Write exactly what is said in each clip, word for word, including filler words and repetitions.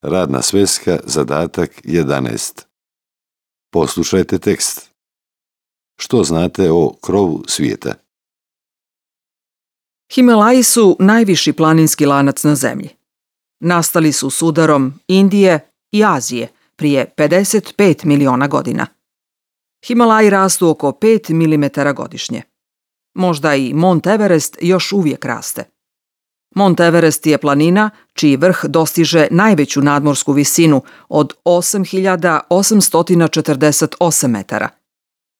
Radna sveska, zadatak jedanaest. Poslušajte tekst. Što znate o krovu svijeta? Himalaji su najviši planinski lanac na zemlji. Nastali su s udarom Indije i Azije prije pedeset pet miliona godina. Himalaji rastu oko pet milimetara godišnje. Možda i Mont Everest još uvijek raste. Mont Everest je planina čiji vrh dostiže najveću nadmorsku visinu od osam hiljada osamsto četrdeset osam metara.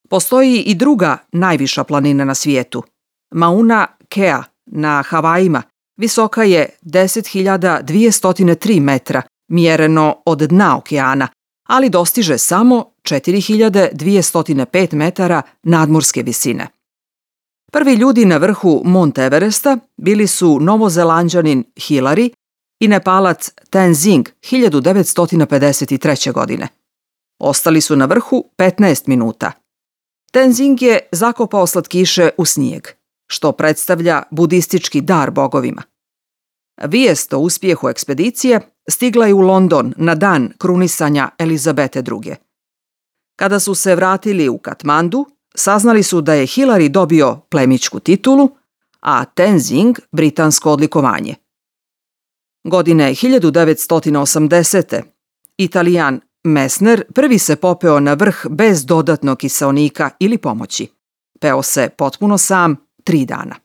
Postoji i druga najviša planina na svijetu, Mauna Kea na Havajima, visoka je deset hiljada dvjesto tri metra, mjereno od dna okeana, ali dostiže samo četiri hiljade dvjesto pet metara nadmorske visine. Prvi ljudi na vrhu Mont Everesta bili su Novozelanđanin Hillary i Nepalac Tenzing hiljadu devetsto pedeset treće. godine. Ostali su na vrhu petnaest minuta. Tenzing je zakopao slatkiše u snijeg, što predstavlja budistički dar bogovima. Vijest o uspjehu ekspedicije stigla je u London na dan krunisanja Elizabete druge. Kada su se vratili u Katmandu, saznali su da je Hillary dobio plemićku titulu, a Tenzing britansko odlikovanje. Godine hiljadu devetsto osamdesete. Italijan Messner prvi se popeo na vrh bez dodatnog kiseonika ili pomoći. Peo se potpuno sam tri dana.